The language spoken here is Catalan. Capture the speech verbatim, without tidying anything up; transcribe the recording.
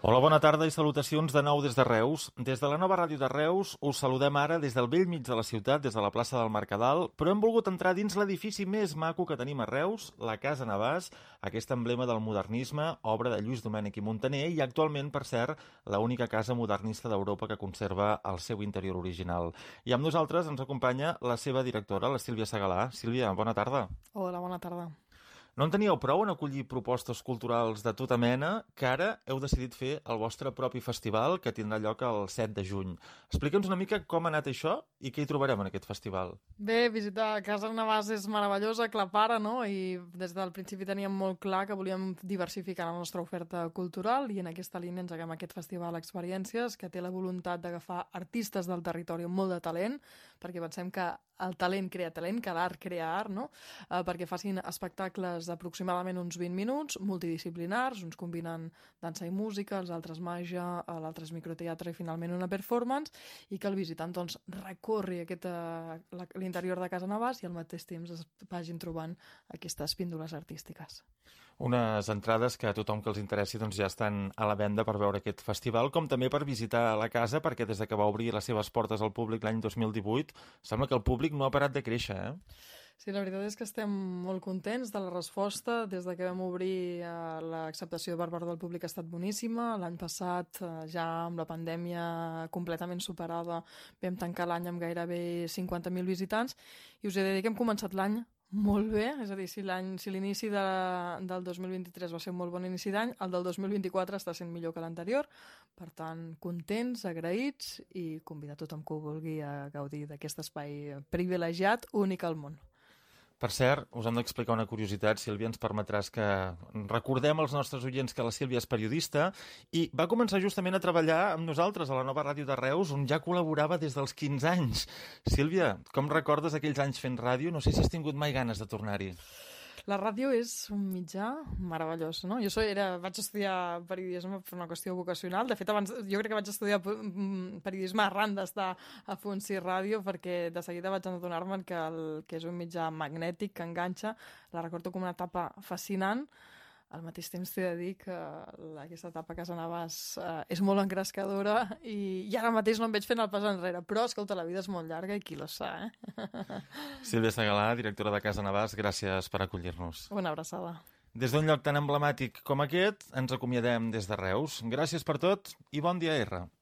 Hola, bona tarda i salutacions de nou des de Reus. Des de la nova ràdio de Reus us saludem ara des del bell mig de la ciutat, des de la plaça del Mercadal, però hem volgut entrar dins l'edifici més maco que tenim a Reus, la Casa Navàs, aquest emblema del modernisme, obra de Lluís Domènech i Muntaner i actualment, per cert, l'única casa modernista d'Europa que conserva el seu interior original. I amb nosaltres ens acompanya la seva directora, la Sílvia Segalà. Sílvia, bona tarda. Hola, bona tarda. No en teníeu prou en acollir propostes culturals de tota mena que ara heu decidit fer el vostre propi festival que tindrà lloc el set de juny. Explica'ns una mica com ha anat això i què hi trobarem en aquest festival. Bé, visitar Casa Navàs és meravellosa, aclapara, no? I des del principi teníem molt clar que volíem diversificar la nostra oferta cultural i en aquesta línia engeguem aquest festival Experiències que té la voluntat d'agafar artistes del territori amb molt de talent, perquè pensem que el talent crea talent, que l'art crea art, no? Eh, perquè facin espectacles d'aproximadament uns vint minuts, multidisciplinars, uns combinen dansa i música, els altres màgia, l'altre és microteatre i finalment una performance, i que el visitant doncs, recorri aquest, eh, l'interior de Casa Navàs i al mateix temps es vagin trobant aquestes píndoles artístiques. Unes entrades que a tothom que els interessi doncs, ja estan a la venda per veure aquest festival, com també per visitar la casa, perquè des de que va obrir les seves portes al públic l'any dos mil divuit, sembla que el públic no ha parat de créixer, eh? Sí, la veritat és que estem molt contents de la resposta. Des de que vam obrir, eh, l'acceptació per part del públic ha estat boníssima. L'any passat, eh, ja amb la pandèmia completament superada, vam tancar l'any amb gairebé cinquanta mil visitants i us he de dir que hem començat l'any molt bé, és a dir, si l'any, si l'inici de, del dos mil vint-i-tres va ser un molt bon inici d'any, el del dos mil vint-i-quatre està sent millor que l'anterior, per tant, contents, agraïts i convidar tothom que ho vulgui a gaudir d'aquest espai privilegiat, únic al món. Per cert, us hem d'explicar una curiositat, Sílvia, ens permetràs que recordem als nostres oients que la Sílvia és periodista i va començar justament a treballar amb nosaltres a la nova ràdio de Reus, on ja col·laborava des dels quinze anys. Sílvia, com recordes aquells anys fent ràdio? No sé si has tingut mai ganes de tornar-hi. La ràdio és un mitjà meravellós, no? Jo soy, era, vaig estudiar periodisme per una qüestió vocacional. De fet, abans, jo crec que vaig estudiar periodisme arran d'estar a Fonsi Ràdio, perquè de seguida vaig adonar-me que, el, que és un mitjà magnètic, que enganxa. La recordo com una etapa fascinant. Al mateix temps t'he de dir que aquesta etapa a Casa Navàs eh, és molt engrescadora i, i ara mateix no em veig fent el pas enrere, però escolta, la vida és molt llarga i qui lo sa, eh? Sílvia Segalà, directora de Casa Navàs, gràcies per acollir-nos. Una abraçada. Des d'un lloc tan emblemàtic com aquest, ens acomiadem des de Reus. Gràcies per tot i bon dia, R.